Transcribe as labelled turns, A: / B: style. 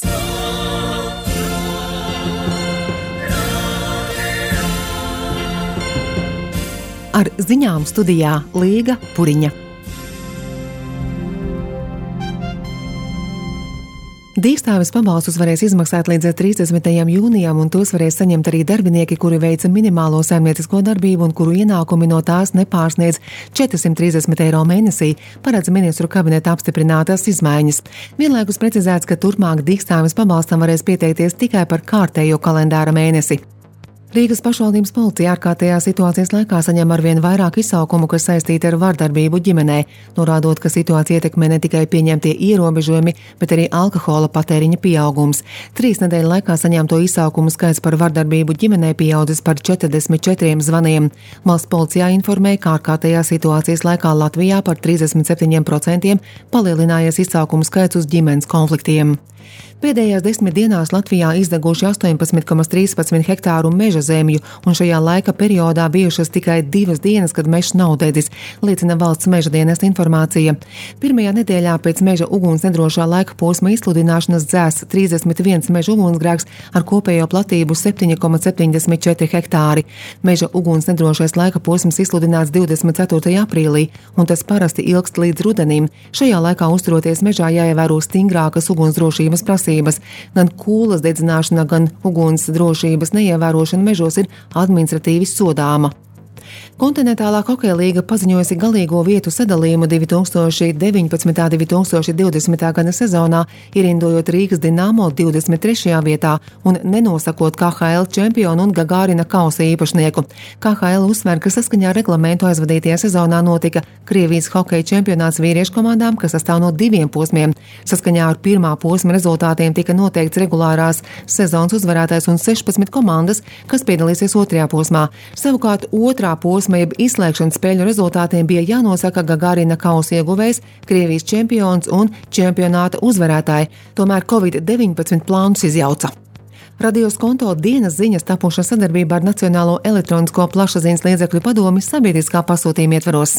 A: Ar ziņām studijā Līga Puriņa. Dīkstāves pabalstus varēs izmaksāt līdz 30. jūnijam, un tos varēs saņemt arī darbinieki, kuri veica minimālo saimniecisko darbību un kuru ienākumi no tās nepārsniedz 430 eiro mēnesī, paredz ministru kabineta apstiprinātās izmaiņas. Vienlaikus precizēts, ka turpmāk Dīkstāves pabalstam varēs pieteikties tikai par kārtējo kalendāra mēnesi. Rīgas pašvaldības policija ārkārtējā situācijas laikā saņem arvien vairāk izsaukumu, kas saistīti ar vardarbību ģimenē, norādot, ka situācija ietekmē ne tikai pieņemtie ierobežojumi, bet arī alkohola patēriņa pieaugums. 3 nedēļu laikā saņemto izsaukumu skaits par vardarbību ģimenē pieaudzis par 44 zvaniem. Valsts policijā informēja, ka ārkārtējā situācijas laikā Latvijā par 37% palielinājies izsaukumu skaits uz ģimenes konfliktiem. Pēdējās 10 dienās Latvijā izdeguši 18,13 hektāru meža zemju, un šajā laika periodā bijušas tikai 2 dienas, kad mežs nav dedzis, liecina valsts meža dienesta informācija. Pirmajā nedēļā pēc meža uguns nedrošā laika posma izsludināšanas dzēsts 31 meža ugunsgrēks ar kopējo platību 7,74 hektāri. Meža uguns nedrošais laika posms izsludināts 24. aprīlī, un tas parasti ilgst līdz rudenim. Šajā laikā uzturoties mežā jāievēro stingrākas ugunsdrošības prasības. Gan kūlas dedzināšana, gan uguns drošības neievērošana mežos ir administratīvi sodāma. Kontinentālā hokeja līga paziņojusi galīgo vietu sadalījumu 2019.–2020. gada sezonā, ierindojot Rīgas Dinamo 23. vietā un nenosakot KHL čempionu un Gagārina kausa īpašnieku. KHL uzsver, ka saskaņā ar reglamentu aizvadītajā sezonā notika Krievijas hokeja čempionāts vīriešu komandām, kas sastāv no 2 posmiem. Saskaņā ar pirmā posma rezultātiem tika noteikts regulārās sezonas uzvarētājs un 16 komandas, kas piedalīsies 2. posmā. Savukārt otrā posma jeb izslēgšanas spēļu rezultātiem bija jānosaka Gagārina kausa ieguvējs, Krievijas čempions un čempionāta uzvarētāji. Tomēr Covid-19 plānus izjauca. Radio Skonto dienas ziņas tapušas sadarbībā ar Nacionālo elektronisko plašsaziņas līdzekļu padomi sabiedriskā pasūtījuma ietvaros.